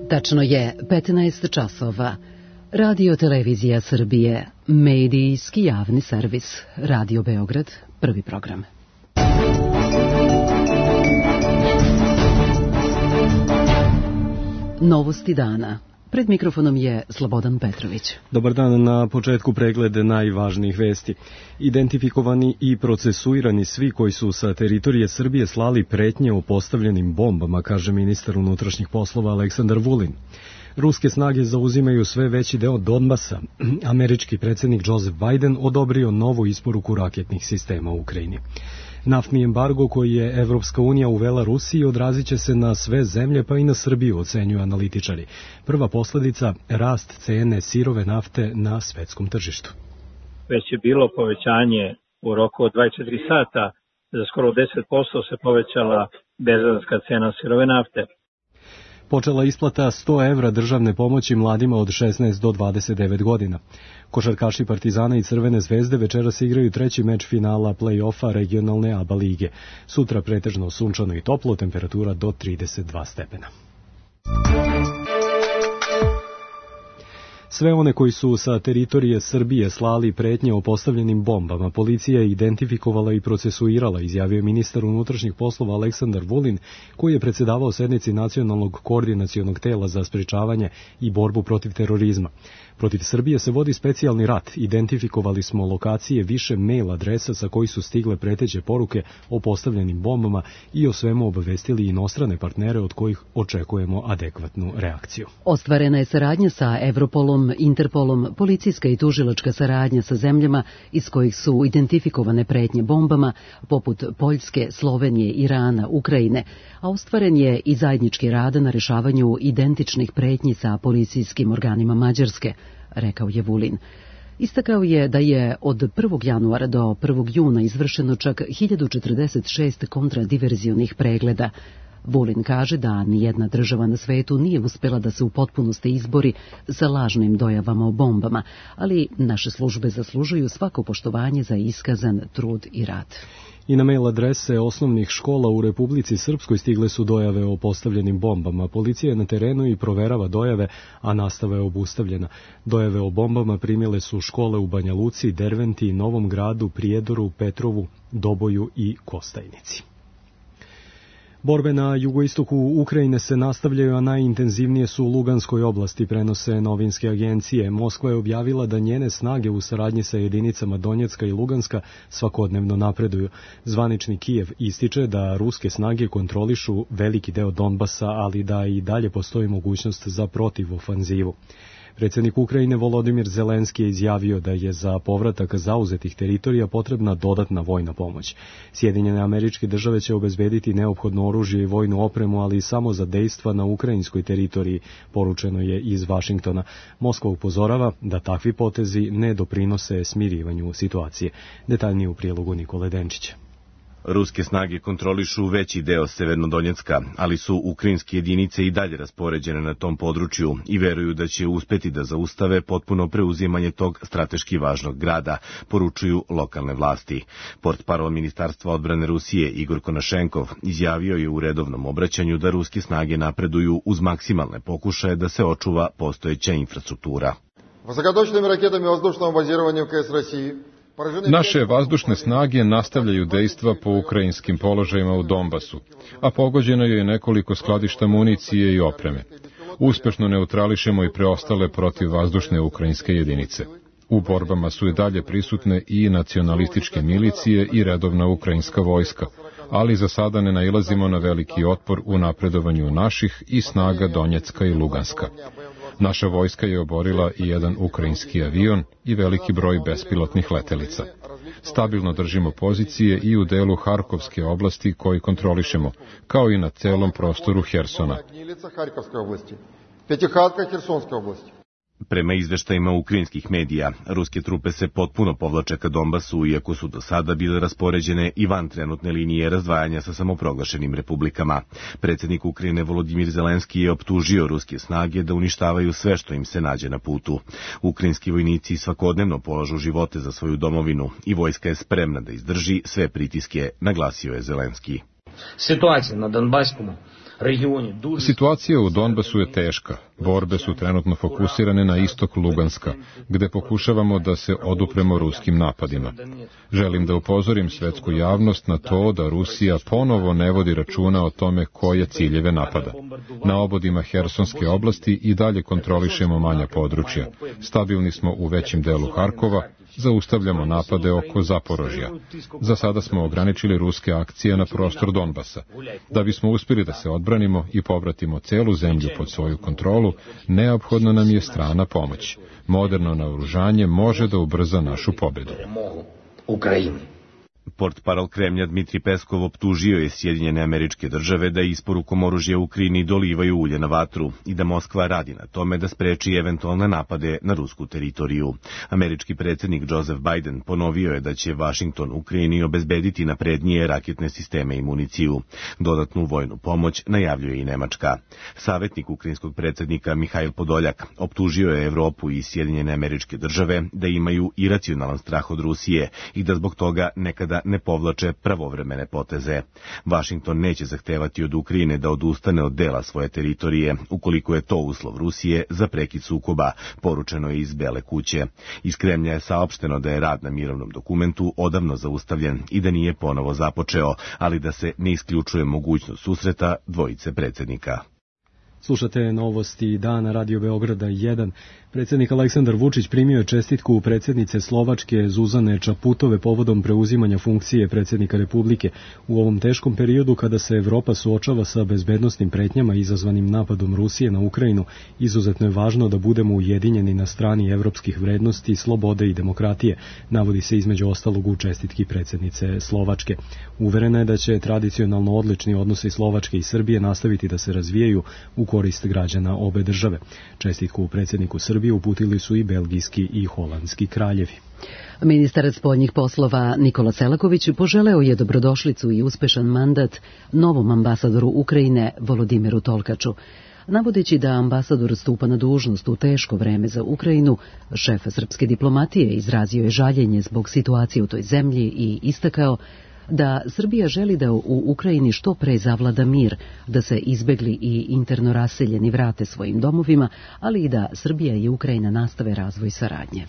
Tačno je 15 časova. Radio Televizija Srbije, medijski javni servis. Radio Beograd, prvi program. Novosti dana. Pred mikrofonom je Slobodan Petrović. Dobar dan, na početku pregled najvažnijih vesti. Identifikovani i procesuirani svi koji su sa teritorije Srbije slali pretnje o postavljenim bombama, kaže ministar unutrašnjih poslova Aleksandar Vulin. Ruske snage zauzimaju sve veći deo Donbasa. Američki predsjednik Joseph Biden odobrio novu isporuku raketnih sistema u Ukrajini. Naftni embargo koji je Evropska unija uvela Rusiji odrazit će se na sve zemlje, pa i na Srbiju, ocenjuju analitičari. Prva posljedica, rast cene sirove nafte na svetskom tržištu. Već je bilo povećanje u roku od 24 sata, za skoro 10% se povećala berzanska cena sirove nafte. Počela isplata 100 evra državne pomoći mladima od 16 do 29 godina. Košarkaši Partizana i Crvene zvezde večeras igraju treći meč finala play-offa regionalne ABA lige. Sutra pretežno sunčano i toplo, temperatura do 32 stepena. Sve one koji su sa teritorije Srbije slali pretnje o postavljenim bombama, policija je identifikovala i procesuirala, izjavio ministar unutrašnjih poslova Aleksandar Vulin, koji je predsjedavao sednici Nacionalnog koordinacionog tela za sprečavanje i borbu protiv terorizma. Protiv Srbije se vodi specijalni rat. Identifikovali smo lokacije više mail adresa sa koji su stigle preteće poruke o postavljenim bombama i o svemu obavestili inostrane partnere od kojih očekujemo adekvatnu reakciju. Ostvarena je saradnja sa Europolom, Interpolom, policijska i tužilačka saradnja sa zemljama iz kojih su identifikovane pretnje bombama, poput Poljske, Slovenije, Irana, Ukrajine, a ostvaren je i zajednički rad na rešavanju identičnih pretnji sa policijskim organima Mađarske, rekao je Vulin. Istakao je da je od 1. januara do 1. juna izvršeno čak 1046 kontradiverzionih pregleda. Vulin kaže da nijedna država na svetu nije uspela da se u potpunosti izbori sa lažnim dojavama o bombama, ali naše službe zaslužuju svako poštovanje za iskazan trud i rad. I na mail adrese osnovnih škola u Republici Srpskoj stigle su dojave o postavljenim bombama. Policija je na terenu i proverava dojave, a nastava je obustavljena. Dojave o bombama primile su škole u Banja Luci, Derventi, Novom Gradu, Prijedoru, Petrovu, Doboju i Kostajnici. Borbe na jugoistoku Ukrajine se nastavljaju, a najintenzivnije su u Luganskoj oblasti, prenose novinske agencije. Moskva je objavila da njene snage u saradnji sa jedinicama Donjecka i Luganska svakodnevno napreduju. Zvanični Kijev ističe da ruske snage kontrolišu veliki deo Donbasa, ali da i dalje postoji mogućnost za protivofanzivu. Predsjednik Ukrajine Volodimir Zelenski je izjavio da je za povratak zauzetih teritorija potrebna dodatna vojna pomoć. Sjedinjene Američke Države će obezbediti neophodno oružje i vojnu opremu, ali samo za dejstva na ukrajinskoj teritoriji, poručeno je iz Vašingtona. Moskva upozorava da takvi potezi ne doprinose smirivanju situacije. Detaljnije u prijelogu Nikole Denčića. Ruske snage kontrolišu veći deo Severnodonjecka, ali su ukrajinske jedinice i dalje raspoređene na tom području i veruju da će uspeti da zaustave potpuno preuzimanje tog strateški važnog grada, poručuju lokalne vlasti. Portparol Ministarstva odbrane Rusije Igor Konašenkov izjavio je u redovnom obraćanju da ruske snage napreduju uz maksimalne pokušaje da se očuva postojeća infrastruktura. Высокоточными ракетами воздушного базирования ВКС России Naše vazdušne snage nastavljaju dejstva po ukrajinskim položajima u Donbasu, a pogođeno je nekoliko skladišta municije i opreme. Uspešno neutrališemo i preostale protivvazdušne ukrajinske jedinice. U borbama su i dalje prisutne i nacionalističke milicije i redovna ukrajinska vojska, ali za sada ne nailazimo na veliki otpor u napredovanju naših i snaga Donjecka i Luganska. Naša vojska je oborila i jedan ukrajinski avion i veliki broj bespilotnih letelica. Stabilno držimo pozicije i u delu Harkovske oblasti koji kontrolišemo, kao i na celom prostoru Hersona. Prema izveštajima ukrajinskih medija, ruske trupe se potpuno povlače ka Donbasu, iako su do sada bile raspoređene i van trenutne linije razdvajanja sa samoproglašenim republikama. Predsjednik Ukrajine Volodimir Zelenski je optužio ruske snage da uništavaju sve što im se nađe na putu. Ukrajinski vojnici svakodnevno polažu živote za svoju domovinu i vojska je spremna da izdrži sve pritiske, naglasio je Zelenski. Situacija na Donbaskому Situacija u Donbasu je teška. Borbe su trenutno fokusirane na istok Luganska, gde pokušavamo da se odupremo ruskim napadima. Želim da upozorim svetsku javnost na to da Rusija ponovo ne vodi računa o tome koje ciljeve napada. Na obodima Hersonske oblasti i dalje kontrolišemo manja područja. Stabilni smo u većem delu Harkova, zaustavljamo napade oko Zaporožja. Za sada smo ograničili ruske akcije na prostor Donbasa. Da bismo uspjeli da se odbranimo i povratimo celu zemlju pod svoju kontrolu, neophodna nam je strana pomoć. Moderno naoružanje može da ubrza našu pobedu. Portparol Kremlja Dmitri Peskov optužio je Sjedinjene Američke Države da isporukom oružja Ukrajini dolivaju ulje na vatru i da Moskva radi na tome da spreči eventualne napade na rusku teritoriju. Američki predsjednik Joseph Biden ponovio je da će Vašington Ukrajini obezbediti naprednije raketne sisteme i municiju. Dodatnu vojnu pomoć najavljuje i Nemačka. Savjetnik ukrajinskog predsjednika Mihajl Podoljak optužio je Evropu i Sjedinjene Američke Države da imaju iracionalan strah od Rusije i da zbog toga nekada ne povlače pravovremene poteze. Vašington neće zahtevati od Ukrajine da odustane od dela svoje teritorije, ukoliko je to uslov Rusije za prekid sukoba, poručeno je iz Bele kuće. Iz Kremlja je saopšteno da je rad na mirovnom dokumentu odavno zaustavljen i da nije ponovo započeo, ali da se ne isključuje mogućnost susreta dvojice predsjednika. Slušate novosti dana Radio Beograda 1. Predsjednik Aleksandar Vučić primio je čestitku predsjednice Slovačke Zuzane Čaputove povodom preuzimanja funkcije predsjednika Republike. U ovom teškom periodu kada se Evropa suočava sa bezbednosnim pretnjama izazvanim napadom Rusije na Ukrajinu, izuzetno je važno da budemo ujedinjeni na strani evropskih vrednosti, slobode i demokratije, navodi se između ostalog u čestitki predsjednice Slovačke. Uverena je da će tradicionalno odlični odnosi Slovačke i Srbije nastaviti da se razvijaju u korist građana obe države. Čestitku predsjedniku Srbije uputili su i belgijski i holandski kraljevi. Ministar spoljnih poslova Nikola Selaković poželeo je dobrodošlicu i uspešan mandat novom ambasadoru Ukrajine Volodimiru Tolkaču. Navodeći da ambasador stupa na dužnost u teško vreme za Ukrajinu, šef srpske diplomatije izrazio je žaljenje zbog situacije u toj zemlji i istakao da Srbija želi da u Ukrajini što pre zavlada mir, da se izbegli i interno raseljeni vrate svojim domovima, ali i da Srbija i Ukrajina nastave razvoj saradnje.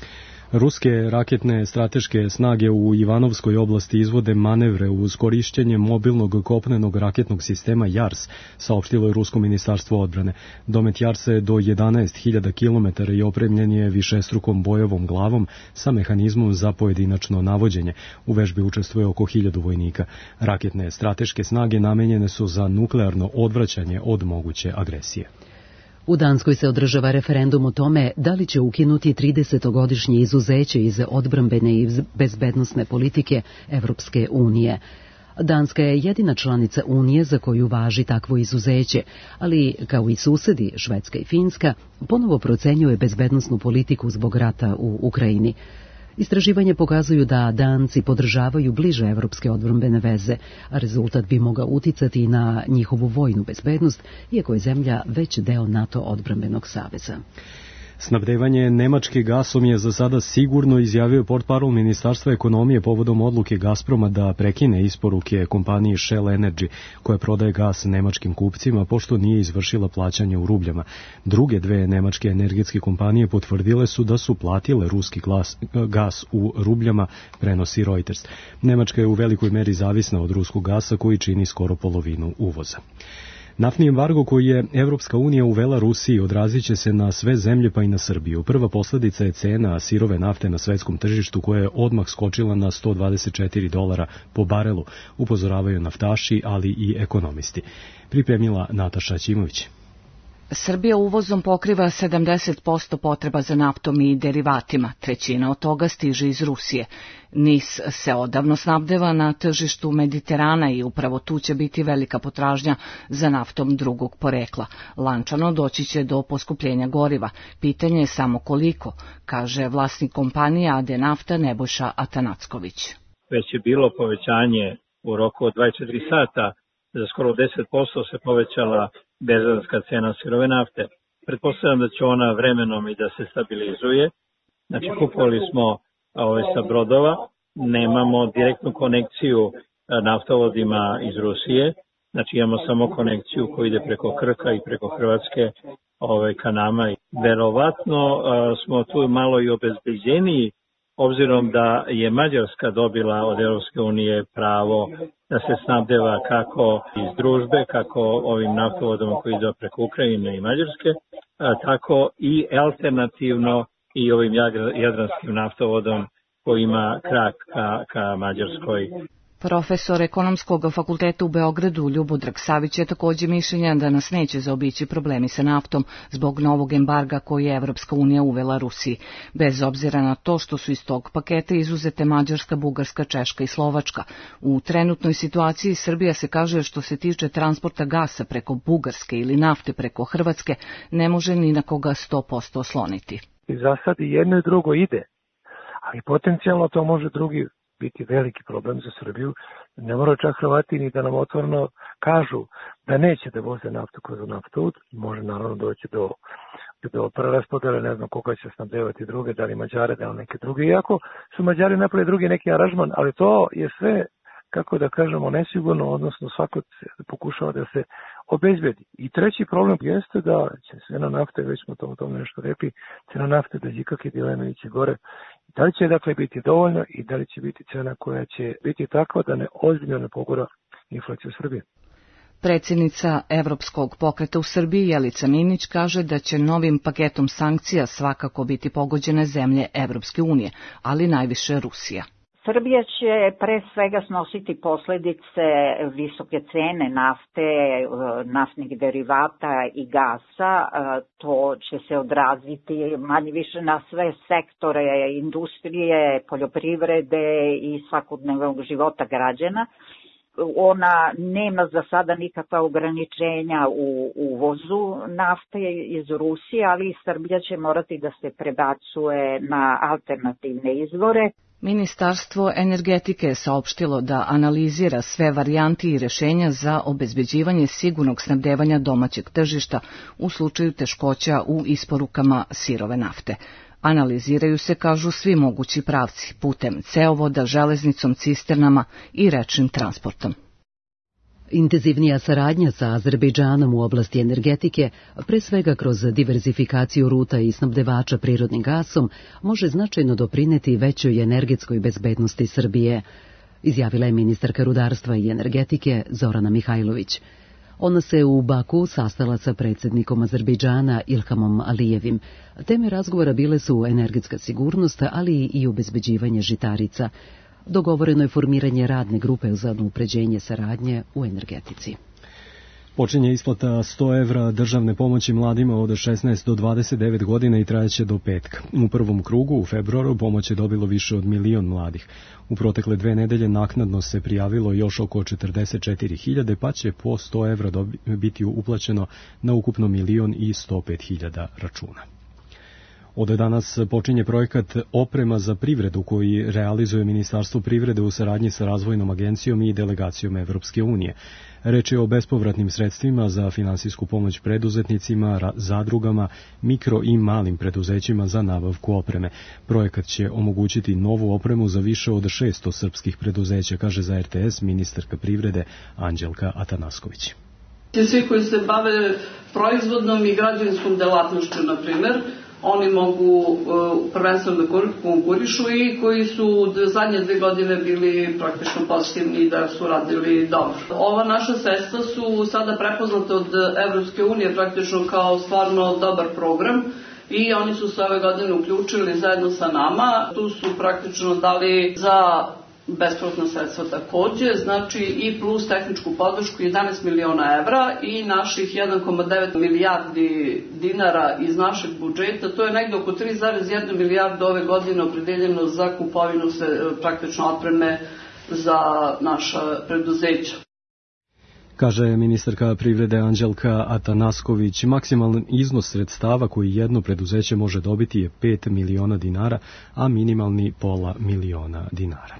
Ruske raketne strateške snage u Ivanovskoj oblasti izvode manevre uz korišćenje mobilnog kopnenog raketnog sistema JARS, saopštilo je Rusko ministarstvo odbrane. Domet JARS-a do 11.000 km i opremljen je višestrukom bojevom glavom sa mehanizmom za pojedinačno navođenje. U vežbi učestvuje oko 1000 vojnika. Raketne strateške snage namenjene su za nuklearno odvraćanje od moguće agresije. U Danskoj se održava referendum o tome da li će ukinuti 30-godišnje izuzeće iz odbrambene i bezbednosne politike Evropske unije. Danska je jedina članica Unije za koju važi takvo izuzeće, ali kao i susedi Švedska i Finska ponovo procenjuje bezbednosnu politiku zbog rata u Ukrajini. Istraživanje pokazuju da Danci podržavaju bliže evropske odbrambene veze, a rezultat bi mogao uticati na njihovu vojnu bezbednost, iako je zemlja već deo NATO odbrambenog saveza. Snabdevanje Nemačke gasom je za sada sigurno, izjavio portparol Ministarstva ekonomije povodom odluke Gazproma da prekine isporuke kompaniji Shell Energy, koja prodaje gas nemačkim kupcima, pošto nije izvršila plaćanje u rubljama. Druge dve nemačke energetske kompanije potvrdile su da su platile ruski gas u rubljama, prenosi Reuters. Nemačka je u velikoj meri zavisna od ruskog gasa koji čini skoro polovinu uvoza. Naftni embargo koji je Evropska unija uvela Rusiji odrazit će se na sve zemlje pa i na Srbiju. Prva posljedica je cena sirove nafte na svetskom tržištu koja je odmah skočila na $124 po barelu, upozoravaju naftaši, ali i ekonomisti. Pripremila Nataša Ćimović. Srbija uvozom pokriva 70% potreba za naftom i derivatima, trećina od toga stiže iz Rusije. NIS se odavno snabdeva na tržištu Mediterana i upravo tu će biti velika potražnja za naftom drugog porekla. Lančano doći će do poskupljenja goriva. Pitanje je samo koliko, kaže vlasnik kompanije AD Nafta Nebojša Atanacković. Već je bilo povećanje u roku od 24 sata, za skoro 10% se povećala berzanska cena sirove nafte. Pretpostavljam da će ona vremenom i da se stabilizuje. Znači, kupovali smo sa brodova, nemamo direktnu konekciju naftovodima iz Rusije, Znači imamo samo konekciju koja ide preko Krka i preko Hrvatske ka nama. Verovatno smo tu malo i obezbeđeniji, obzirom da je Mađarska dobila od Europske unije pravo da se snabdeva kako iz družbe, kako ovim naftovodom koji ide preko Ukrajine i Mađarske, tako i alternativno i ovim jadranskim naftovodom koji ima krak ka Mađarskoj. Profesor Ekonomskog fakulteta u Beogradu Ljubodrag Savić je također mišljenja da nas neće zaobići problemi sa naftom zbog novog embarga koji je Evropska unija uvela Rusiji, bez obzira na to što su iz tog paketa izuzete Mađarska, Bugarska, Češka i Slovačka. U trenutnoj situaciji Srbija se kaže što se tiče transporta gasa preko Bugarske ili nafte preko Hrvatske ne može ni na koga 100% osloniti. I za sad i jedno i drugo ide, ali potencijalno to može drugi biti veliki problem za Srbiju. Ne mora čak Hrvati ni da nam otvoreno kažu da neće da voze naftu kroz naftovod. Može naravno doći do preraspodele, ne znam koga će snabdevati druge, da li Mađare, da li neke druge. Iako su Mađari napravili drugi neki aranžman, ali to je sve, kako da kažemo, nesigurno, odnosno svako pokušava da se obezbedi. I treći problem jeste da će cena nafte, već smo o tome nešto rekli, cena nafte da ikakve dileme ići gore. Da li će dakle biti dovoljno i da li će biti cena koja će biti takva da ne ozbiljno ne pogora inflaciju Srbije. Predsjednica Evropskog pokreta u Srbiji Jelica Minić kaže da će novim paketom sankcija svakako biti pogođene zemlje Evropske unije, ali najviše Rusija. Srbija će pre svega snositi posljedice visoke cene nafte, naftnih derivata i gasa. To će se odraziti manje više na sve sektore industrije, poljoprivrede i svakodnevnog života građana. Ona nema za sada nikakva ograničenja u uvozu nafte iz Rusije, ali i Srbija će morati da se prebacuje na alternativne izvore. Ministarstvo energetike je saopštilo da analizira sve varijanti i rješenja za obezbeđivanje sigurnog snabdevanja domaćeg tržišta u slučaju teškoća u isporukama sirove nafte. Analiziraju se, kažu, svi mogući pravci, putem ceovoda, železnicom, cisternama i rečnim transportom. Intenzivnija saradnja sa Azerbejdžanom u oblasti energetike, pre svega kroz diverzifikaciju ruta i snabdevača prirodnim gasom, može značajno doprineti većoj energetskoj bezbednosti Srbije, izjavila je ministarka rudarstva i energetike Zorana Mihajlović. Ona se u Baku sastala sa predsjednikom Azerbejdžana Ilhamom Alijevim. Teme razgovora bile su energetska sigurnost, ali i obezbeđivanje žitarica. Dogovoreno je formiranje radne grupe za unapređenje saradnje u energetici. Počinje isplata 100 evra državne pomoći mladima od 16 do 29 godina i trajeće do petka. U prvom krugu, u februaru, pomoć je dobilo više od 1 milion mladih. U protekle 2 nedelje naknadno se prijavilo još oko 44.000, pa će po 100 evra biti uplaćeno na ukupno 1.105.000 računa. Od danas počinje projekat Oprema za privredu koji realizuje Ministarstvo privrede u saradnji sa Razvojnom agencijom i delegacijom Evropske unije. Reč je o bespovratnim sredstvima za finansijsku pomoć preduzetnicima, zadrugama, mikro i malim preduzećima za nabavku opreme. Projekat će omogućiti novu opremu za više od 600 srpskih preduzeća, kaže za RTS ministarka privrede Anđelka Atanasković. Svi koji se bave proizvodnom i građevinskom delatnošću, na primjer, oni mogu prvenstveno da konkurišu i koji su zadnje 2 godine bili praktično pozitivni da su radili dobro. Ova naša sredstva su sada prepoznate od Evropske unije praktično kao stvarno dobar program i oni su se ove godine uključili zajedno sa nama. Tu su praktično dali za bespovratna sredstva također, znači i plus tehničku podršku 11 miliona evra i naših 1,9 milijardi dinara iz našeg budžeta, to je negdje oko 3,1 milijardu ove godine opredeljeno za kupovinu praktično opreme za naša preduzeća. Kaže ministarka privrede Anđelka Atanasković, maksimalan iznos sredstava koji jedno preduzeće može dobiti je 5 miliona dinara, a minimalni pola miliona dinara.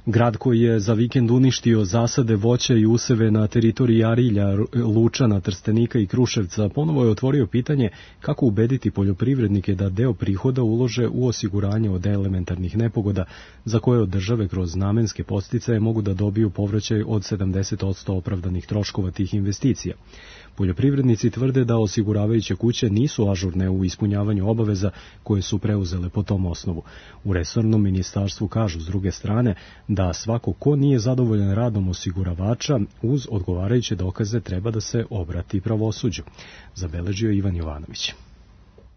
Grad koji je za vikend uništio zasade voća i useve na teritoriji Arilja, Lučana, Trstenika i Kruševca ponovo je otvorio pitanje kako ubediti poljoprivrednike da deo prihoda ulože u osiguranje od elementarnih nepogoda za koje od države kroz namenske podsticaje mogu da dobiju povraćaj od 70% opravdanih troškova tih investicija. Poljoprivrednici tvrde da osiguravajuće kuće nisu ažurne u ispunjavanju obaveza koje su preuzele po tom osnovu. U resornom ministarstvu kažu s druge strane da svako ko nije zadovoljan radom osiguravača uz odgovarajuće dokaze treba da se obrati pravosuđu, zabeležio Ivan Jovanović.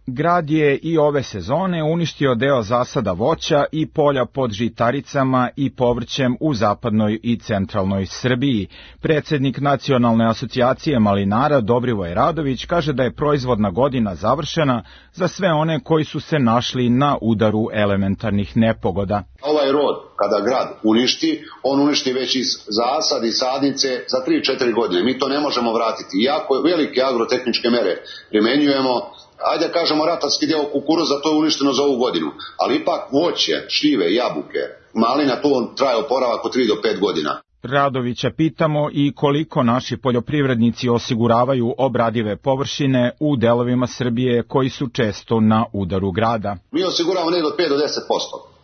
Grad je i ove sezone uništio deo zasada voća i polja pod žitaricama i povrćem u zapadnoj i centralnoj Srbiji. Predsednik Nacionalne asocijacije malinara Dobrivoj Radović kaže da je proizvodna godina završena za sve one koji su se našli na udaru elementarnih nepogoda. Ovaj rod, kada grad uništi, on uništi već iz zasad i sadnice za 3-4 godine. Mi to ne možemo vratiti. Iako velike agrotehničke mere primenjujemo, ajde kažemo ratarski deo kukuruza, to je uništeno za ovu godinu. Ali ipak voće, šljive, jabuke, malina, to traje oporavak od 3 do 5 godina. Radovića pitamo i koliko naši poljoprivrednici osiguravaju obradive površine u delovima Srbije koji su često na udaru grada. Mi osiguravamo negdje od 5 do 10%.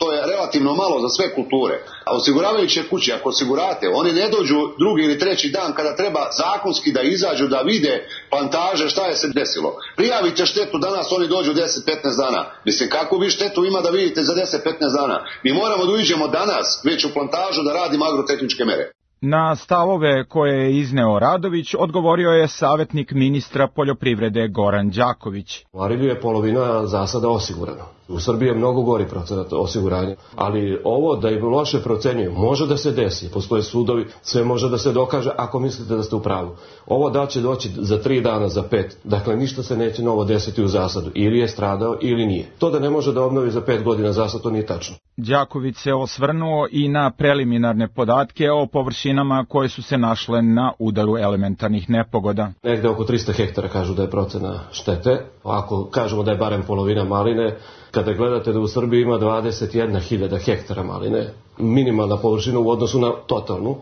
To je relativno malo za sve kulture. A osiguravajuće kuće, ako osigurate, oni ne dođu drugi ili treći dan kada treba zakonski da izađu, da vide plantaže šta je se desilo. Prijavite štetu danas, oni dođu 10-15 dana. Mislim, kako vi štetu ima da vidite za 10-15 dana? Mi moramo da uđemo danas već u plantažu da radimo agrotehničke mere. Na stavove koje je izneo Radović odgovorio je savjetnik ministra poljoprivrede Goran Đaković. U Arilju je polovina zasada osigurana. U Srbiji je mnogo gori procenat osiguranja, ali ovo da im loše procenjuju, može da se desi, postoje sudovi, sve može da se dokaže ako mislite da ste u pravu. Ovo da će doći za 3 dana, za 5, dakle ništa se neće novo desiti u zasadu, ili je stradao ili nije. To da ne može da obnovi za 5 godina zasad, to nije tačno. Đaković se osvrnuo i na preliminarne podatke o površinama koje su se našle na udaru elementarnih nepogoda. Negde oko 300 hektara kažu da je procena štete, ako kažemo da je barem polovina maline, kada gledate da u Srbiji ima 21.000 hektara maline, minimalna površina u odnosu na totalnu,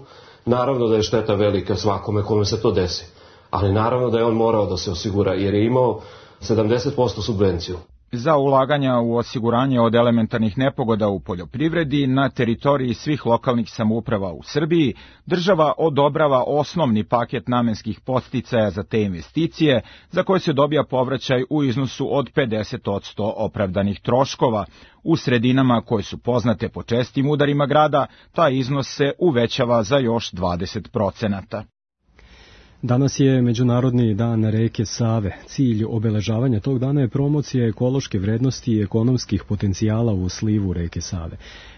naravno da je šteta velika svakome kome se to desi. Ali naravno da je on morao da se osigura jer je imao 70% subvenciju. Za ulaganja u osiguranje od elementarnih nepogoda u poljoprivredi na teritoriji svih lokalnih samouprava u Srbiji, država odobrava osnovni paket namenskih podsticaja za te investicije, za koje se dobija povraćaj u iznosu od 50% opravdanih troškova. U sredinama koje su poznate po čestim udarima grada, taj iznos se uvećava za još 20%. Danas je Međunarodni dan reke Save. Cilj obeležavanja tog dana je promocija ekološke vrednosti i ekonomskih potencijala u slivu reke Save.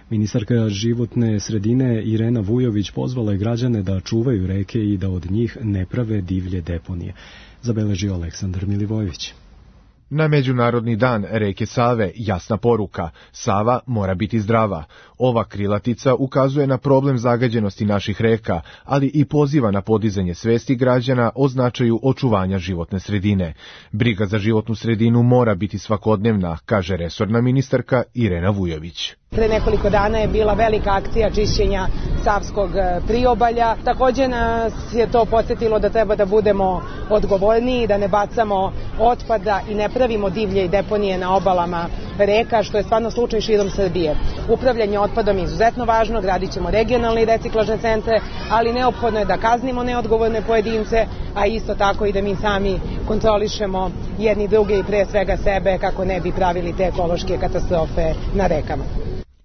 Ministarka životne sredine Irena Vujović pozvala je građane da čuvaju reke i da od njih ne prave divlje deponije. Zabeležio Aleksandar Milivojević. Na Međunarodni dan reke Save jasna poruka: Sava mora biti zdrava. Ova krilatica ukazuje na problem zagađenosti naših reka, ali i poziva na podizanje svesti građana o značaju očuvanja životne sredine. Briga za životnu sredinu mora biti svakodnevna, kaže resorna ministarka Irena Vujović. Pre nekoliko dana je bila velika akcija čišćenja Savskog priobalja. Također nas je to podsjetilo da treba da budemo odgovorniji, da ne bacamo otpada i ne pravimo divlje i deponije na obalama reka, što je stvarno slučaj širom Srbije. Upravljanje otpadom je izuzetno važno, gradit ćemo regionalne i reciklažne centre, ali neophodno je da kaznimo neodgovorne pojedince, a isto tako i da mi sami kontrolišemo jedni druge i pre svega sebe kako ne bi pravili te ekološke katastrofe na rekama.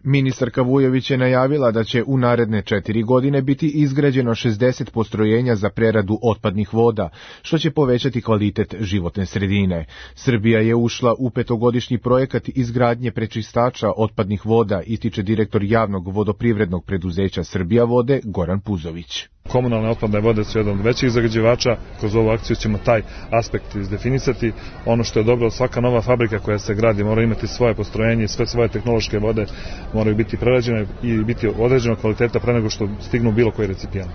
Ministarka Vujović je najavila da će u naredne 4 godine biti izgrađeno 60 postrojenja za preradu otpadnih voda, što će povećati kvalitet životne sredine. Srbija je ušla u 5-godišnji projekat izgradnje prečistača otpadnih voda, ističe direktor javnog vodoprivrednog preduzeća Srbija vode Goran Puzović. Komunalne otpadne vode su jedan od većih zagađivača, kroz ovu akciju ćemo taj aspekt izdefinisati. Ono što je dobro, svaka nova fabrika koja se gradi mora imati svoje postrojenje i sve svoje tehnološke vode moraju biti prerađene i biti određenog kvaliteta pre nego što stignu bilo koji recipijent.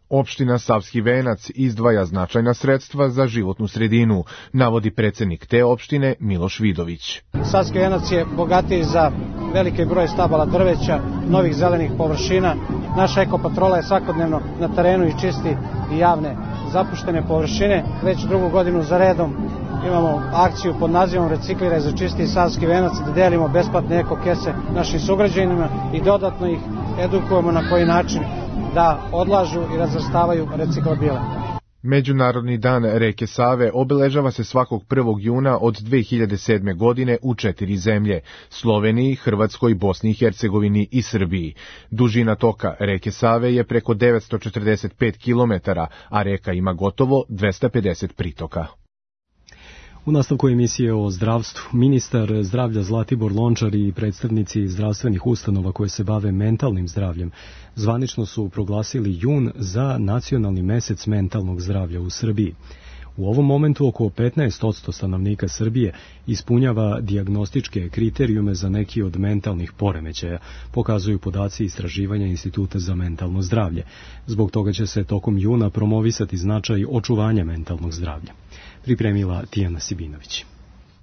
Opština Savski Venac izdvaja značajna sredstva za životnu sredinu, navodi predsednik te opštine Miloš Vidović. Savski Venac je bogatiji za veliki broj stabala drveća, novih zelenih površina. Naša ekopatrola je svakodnevno na terenu i čisti i javne zapuštene površine. Već drugu godinu za redom imamo akciju pod nazivom Recikliraj za čisti Savski venac, da delimo besplatne eko kese našim sugrađanima i dodatno ih edukujemo na koji način da odlažu i razvrstavaju reciklabile. Međunarodni dan reke Save obeležava se svakog 1. juna od 2007. godine u 4 zemlje: Sloveniji, Hrvatskoj, Bosni i Hercegovini i Srbiji. Dužina toka reke Save je preko 945 km, a reka ima gotovo 250 pritoka. U nastavku emisije o zdravstvu, ministar zdravlja Zlatibor Lončar i predstavnici zdravstvenih ustanova koje se bave mentalnim zdravljem zvanično su proglasili jun za nacionalni mesec mentalnog zdravlja u Srbiji. U ovom momentu oko 15% stanovnika Srbije ispunjava dijagnostičke kriterijume za neki od mentalnih poremećaja, pokazuju podaci istraživanja Instituta za mentalno zdravlje. Zbog toga će se tokom juna promovisati značaj očuvanja mentalnog zdravlja. Pripremila Tijana Sibinović.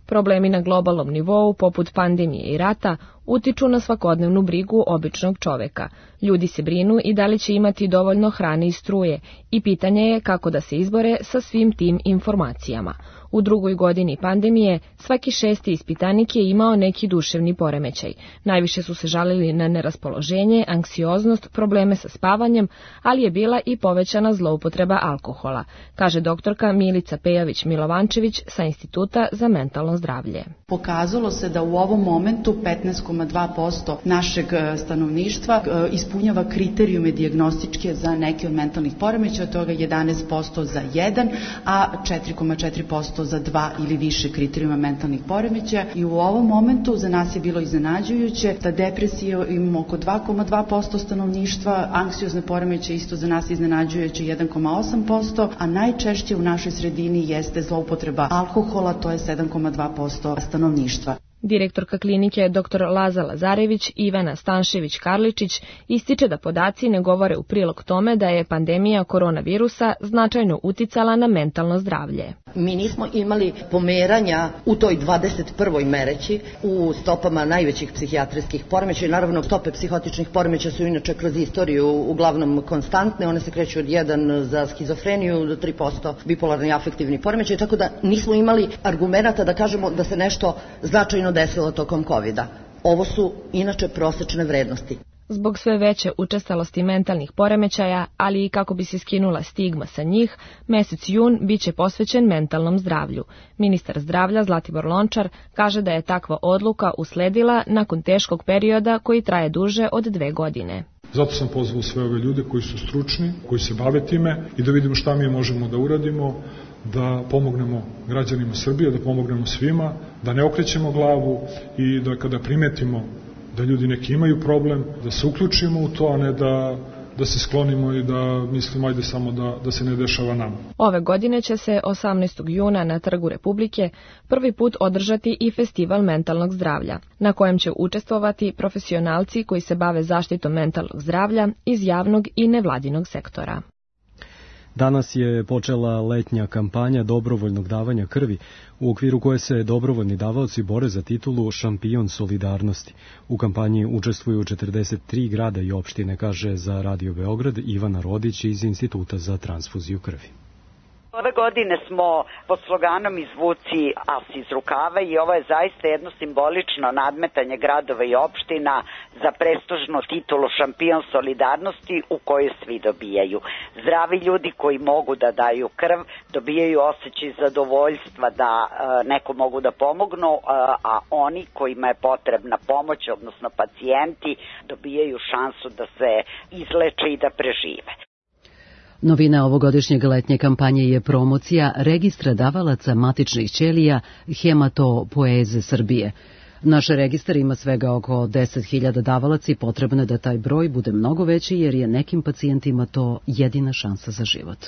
Problemi na globalnom nivou, poput pandemije i rata, utiču na svakodnevnu brigu običnog čoveka. Ljudi se brinu i da li će imati dovoljno hrane i struje i pitanje je kako da se izbore sa svim tim informacijama. U drugoj godini pandemije svaki 6. ispitanik je imao neki duševni poremećaj. Najviše su se žalili na neraspoloženje, anksioznost, probleme sa spavanjem, ali je bila i povećana zloupotreba alkohola, kaže doktorka Milica Pejović-Milovančević sa Instituta za mentalno zdravlje. Pokazalo se da u ovom momentu 15,2% našeg stanovništva ispunjava kriterijume dijagnostičke za neke od mentalnih poremećaja, od toga 11% za 1, a 4,4% za 2 ili više kriterijuma mentalnih poremećaja. I u ovom momentu za nas je bilo iznenađujuće da depresije imamo oko 2,2% stanovništva, anksiozne poremećaje isto za nas iznenađujuće 1,8%, a najčešće u našoj sredini jeste zloupotreba alkohola, to je 7,2% stanovništva. Direktorka klinike dr. Laza Lazarević Ivana Stanšević-Karličić ističe da podaci ne govore u prilog tome da je pandemija koronavirusa značajno uticala na mentalno zdravlje. Mi nismo imali pomeranja u toj 21. mereći u stopama najvećih psihijatrijskih poremećaja. Naravno, stope psihotičnih poremećaja su inače kroz istoriju uglavnom konstantne. One se kreću od 1 za skizofreniju do 3% bipolarni afektivni poremećaj, tako da nismo imali argumenata da kažemo da se nešto značajno desilo tokom COVID-a. Ovo su inače prosečne vrednosti. Zbog sve veće učestalosti mentalnih poremećaja, ali i kako bi se skinula stigma sa njih, mesec jun biće posvećen mentalnom zdravlju. Ministar zdravlja Zlatibor Lončar kaže da je takva odluka usledila nakon teškog perioda koji traje duže od 2 godine. Zato sam pozvao sve ove ljude koji su stručni, koji se bave time i da vidimo šta mi možemo da uradimo, da pomognemo građanima Srbije, da pomognemo svima, da ne okrećemo glavu i da kada primetimo da ljudi neki imaju problem, da se uključimo u to, a ne da se sklonimo i da mislimo ajde samo da se ne dešava nama. Ove godine će se 18. juna na Trgu Republike prvi put održati i festival mentalnog zdravlja, na kojem će učestvovati profesionalci koji se bave zaštitom mentalnog zdravlja iz javnog i nevladinog sektora. Danas je počela letnja kampanja dobrovoljnog davanja krvi, u okviru koje se dobrovoljni davaoci bore za titulu Šampion solidarnosti. U kampanji učestvuju 43 grada i opštine, kaže za Radio Beograd Ivana Rodić iz Instituta za transfuziju krvi. Ove godine smo pod sloganom Izvuci as iz rukava i ovo je zaista jedno simbolično nadmetanje gradova i opština za prestižnu titulu Šampion solidarnosti u kojoj svi dobijaju. Zdravi ljudi koji mogu da daju krv, dobijaju osjećaj zadovoljstva da neko mogu da pomognu, a oni kojima je potrebna pomoć, odnosno pacijenti, dobijaju šansu da se izleče i da prežive. Novina ovogodišnjeg letnje kampanje je promocija registra davalaca matičnih ćelija Hematopoeze Srbije. Naš registar ima svega oko 10.000 davalaca i potrebno je da taj broj bude mnogo veći jer je nekim pacijentima to jedina šansa za život.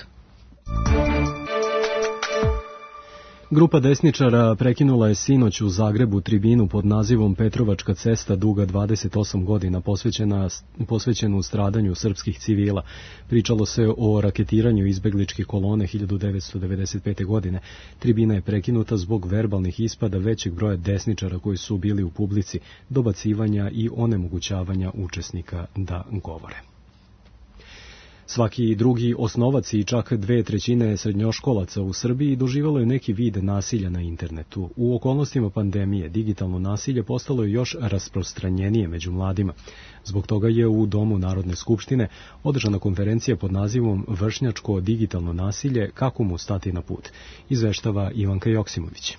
Grupa desničara prekinula je sinoć u Zagrebu tribinu pod nazivom Petrovačka cesta duga 28 godina posvećenu stradanju srpskih civila. Pričalo se o raketiranju izbegličkih kolone 1995. godine. Tribina je prekinuta zbog verbalnih ispada većeg broja desničara koji su bili u publici, dobacivanja i onemogućavanja učesnika da govore. Svaki drugi osnovac i čak 2/3 srednjoškolaca u Srbiji doživjelo je neki vid nasilja na internetu. U okolnostima pandemije digitalno nasilje postalo je još rasprostranjenije među mladima. Zbog toga je u Domu Narodne skupštine održana konferencija pod nazivom Vršnjačko digitalno nasilje, kako mu stati na put, izveštava Ivanka Joksimović.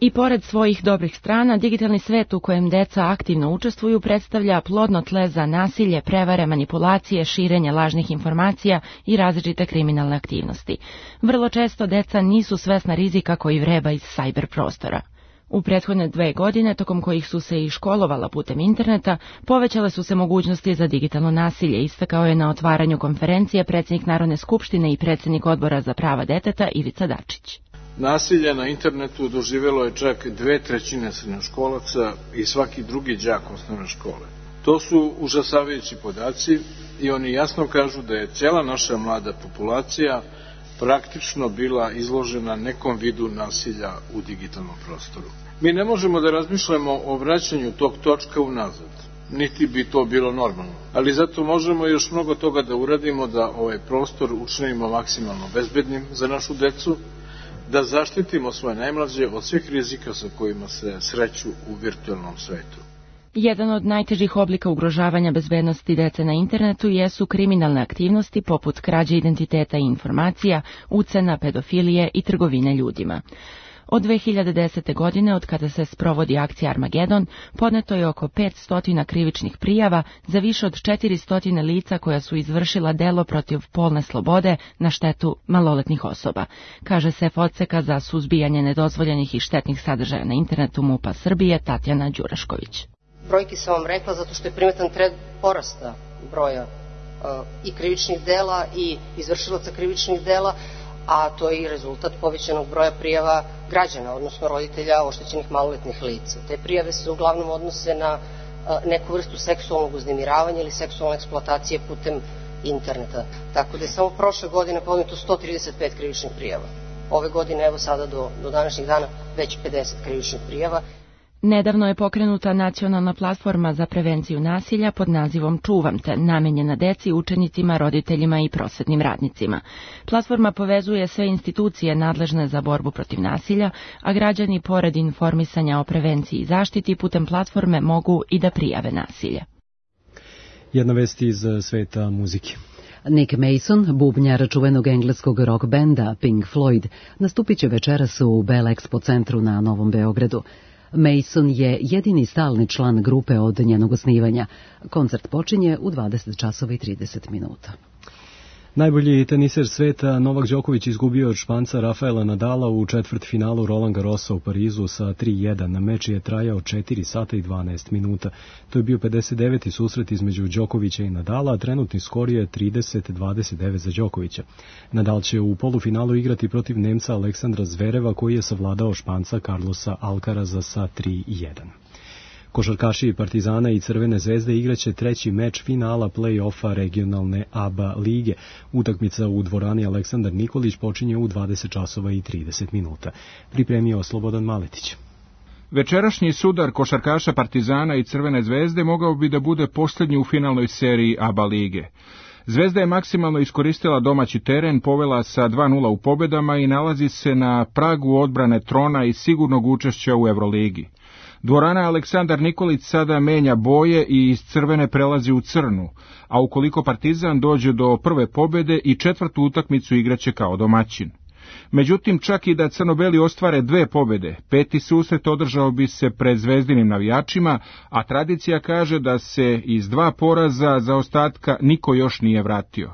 I pored svojih dobrih strana, digitalni svet u kojem deca aktivno učestvuju predstavlja plodno tle za nasilje, prevare, manipulacije, širenje lažnih informacija i različite kriminalne aktivnosti. Vrlo često deca nisu svesna rizika koji vreba iz sajber prostora. U prethodne 2 godine, tokom kojih su se i školovala putem interneta, povećale su se mogućnosti za digitalno nasilje, istakao je na otvaranju konferencije predsjednik Narodne skupštine i predsjednik Odbora za prava deteta Ivica Dačić. Nasilje na internetu doživjelo je čak 2/3 srednjoškolaca i svaki drugi đak osnovne škole. To su užasavajući podaci i oni jasno kažu da je cijela naša mlada populacija praktično bila izložena nekom vidu nasilja u digitalnom prostoru. Mi ne možemo da razmišljamo o vraćanju tog točka unazad, niti bi to bilo normalno, ali zato možemo još mnogo toga da uradimo da ovaj prostor učinimo maksimalno bezbednim za našu decu, da zaštitimo svoje najmlađe od svih rizika sa kojima se sreću u virtualnom svetu. Jedan od najtežih oblika ugrožavanja bezbednosti dece na internetu jesu kriminalne aktivnosti poput krađe identiteta i informacija, ucena, pedofilije i trgovine ljudima. Od 2010. godine, od kada se sprovodi akcija Armagedon, podneto je oko 500 krivičnih prijava za više od 400 lica koja su izvršila delo protiv polne slobode na štetu maloletnih osoba, kaže šef Odseka za suzbijanje nedozvoljenih i štetnih sadržaja na internetu MUP-a Srbije Tatjana Đurašković. Brojki sam vam rekla zato što je primetan trend porasta broja i krivičnih dela i izvršilaca krivičnih dela, a to je i rezultat povećanog broja prijava građana, odnosno roditelja oštećenih maloletnih lica. Te prijave se uglavnom odnose na neku vrstu seksualnog uznemiravanja ili seksualne eksploatacije putem interneta. Tako da je samo prošle godine podneto 135 krivičnih prijava. Ove godine, evo sada do današnjih dana, već 50 krivičnih prijava. Nedavno je pokrenuta nacionalna platforma za prevenciju nasilja pod nazivom Čuvam te, namenjena deci, učenicima, roditeljima i prosvetnim radnicima. Platforma povezuje sve institucije nadležne za borbu protiv nasilja, a građani pored informisanja o prevenciji i zaštiti putem platforme mogu i da prijave nasilje. Jedna vest iz sveta muzike. Nick Mason, bubnjar čuvenog engleskog rock benda Pink Floyd, nastupit će večeras u Bell Expo centru na Novom Beogradu. Mason je jedini stalni član grupe od njenog osnivanja. Koncert počinje u 20:30. Najbolji teniser sveta Novak Đoković izgubio od Španca Rafaela Nadala u četvrtfinalu Roland Garrosa u Parizu sa 3:1. Meč je trajao 4 sata i 12 minuta. To je bio 59. susret između Đokovića i Nadala, a trenutni skor je 30-29 za Đokovića. Nadal će u polufinalu igrati protiv Nemca Aleksandra Zvereva, koji je savladao Španca Carlosa Alcaraza sa 3:1. Košarkaši Partizana i Crvene zvezde igraće 3. meč finala play-offa regionalne ABA lige. Utakmica u dvorani Aleksandar Nikolić počinje u 20:30. Pripremio Slobodan Maletić. Večerašnji sudar košarkaša Partizana i Crvene zvezde mogao bi da bude posljednji u finalnoj seriji ABA lige. Zvezda je maksimalno iskoristila domaći teren, povela sa 2:0 u pobedama i nalazi se na pragu odbrane trona i sigurnog učešća u Euroligi. Dvorana Aleksandar Nikolić sada menja boje i iz crvene prelazi u crnu, a ukoliko Partizan dođe do prve pobede i 4. utakmicu igraće kao domaćin. Međutim, čak i da crnobeli ostvare 2 pobede, 5. susret održao bi se pred zvezdinim navijačima, a tradicija kaže da se iz 2 poraza zaostatka niko još nije vratio.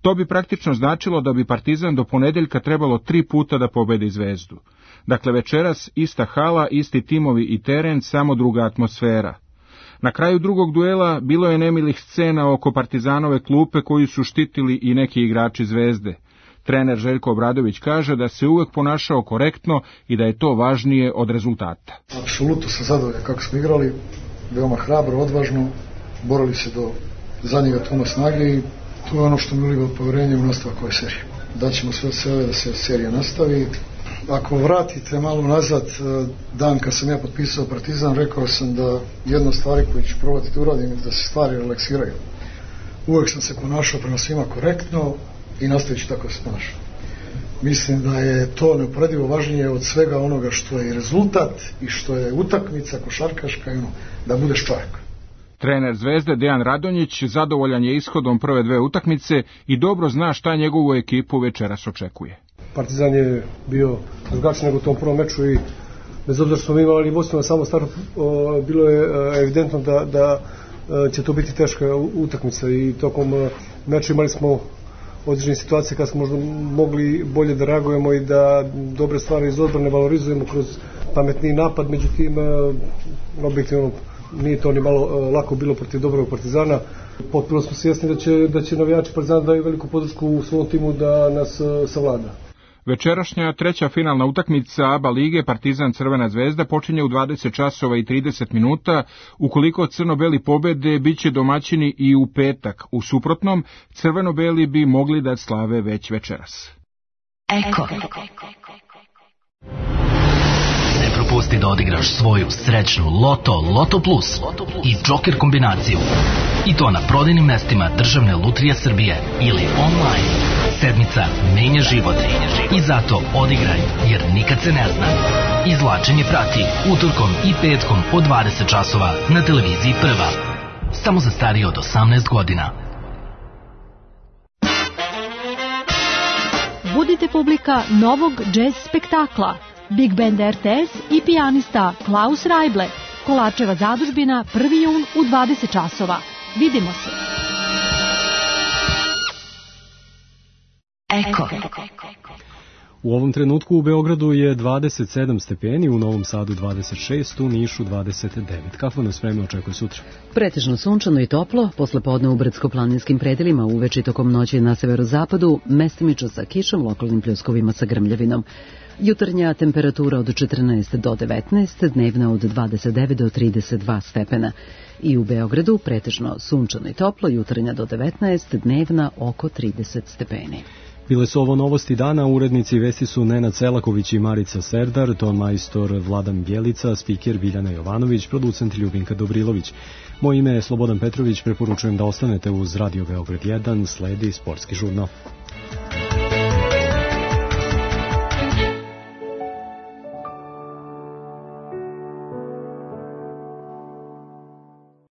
To bi praktično značilo da bi Partizan do ponedeljka trebalo 3 puta da pobedi Zvezdu. Dakle, večeras ista hala, isti timovi i teren, samo druga atmosfera. Na kraju drugog duela bilo je nemilih scena oko Partizanove klupe koju su štitili i neki igrači Zvezde. Trener Željko Obradović kaže da se uvek ponašao korektno i da je to važnije od rezultata. Apsolutno sam zadovoljan kako smo igrali, veoma hrabro, odvažno, borili se do zadnjega tuma snage i to je ono što mi uliva poverenje u nastavak ove serije. Daćemo sve od sebe da se serija nastavi. Ako vratite malo nazad, dan kad sam ja potpisao Partizan, rekao sam da jedna od stvari koju ću probati da uradim je da se stvari relaksiraju. Uvek sam se ponašao prema svima korektno i nastavit ću tako da se ponašao. Mislim da je to neuporedivo važnije od svega onoga što je rezultat i što je utakmica košarkaška, da budeš čovjek. Trener Zvezde Dejan Radonjić zadovoljan je ishodom prve dve utakmice i dobro zna šta njegovu ekipu večeras očekuje. Partizan je bio drugačiji nego u tom prvom meču i bez obzira što smo imali vodstvo na samom startu, bilo je evidentno da će to biti teška utakmica i tokom meča imali smo određene situacije kada smo možda mogli bolje da reagujemo i da dobre stvari iz odbrane valorizujemo kroz pametniji napad, međutim objektivno nije to ni malo lako bilo protiv dobrog Partizana. Potpuno smo svjesni da će navijači Partizana daju veliku podršku u svom timu da nas savlada. Večerašnja treća finalna utakmica ABA lige Partizan Crvena zvezda počinje u 20 časova i 30 minuta. Ukoliko crno-beli pobede, bit će domaćini i u petak. U suprotnom, crveno-beli bi mogli da slave već večeras. Eko. Ne propusti da odigraš svoju srećnu Loto Plus i Joker kombinaciju. I to na prodajnim mestima Državne lutrije Srbije ili online. Sedmica menja život i zato odigraj, jer nikad se ne zna. Izvlačenje prati utorkom i petkom od 20 časova na televiziji Prva. Samo za starije od 18 godina. Budite publika novog džez spektakla. Big Band RTS i pijanista Klaus Rajble. Kolačeva zadužbina 1. jun u 20 časova. Vidimo se. Eko. U ovom trenutku u Beogradu je 27 stepeni, u Novom Sadu 26, u Nišu 29. Kakvo nas vreme očekuje sutra? Pretežno sunčano i toplo, posle podne u brdsko-planinskim predelima, uveče tokom noći na severozapadu, mestimično sa kišom, lokalnim pljuskovima sa grmljavinom. Jutarnja temperatura od 14 do 19, dnevna od 29 do 32 stepena. I u Beogradu pretežno sunčano i toplo, jutarnja do 19, dnevna oko 30 stepeni. Bile su ovo novosti dana, urednici vesti su Nenad Selaković i Marica Serdar, ton majstor Vladan Bjelica, spiker Biljana Jovanović, producent Ljubinka Dobrilović. Moje ime je Slobodan Petrović, preporučujem da ostanete uz Radio Beograd 1, sledi sportski žurnal.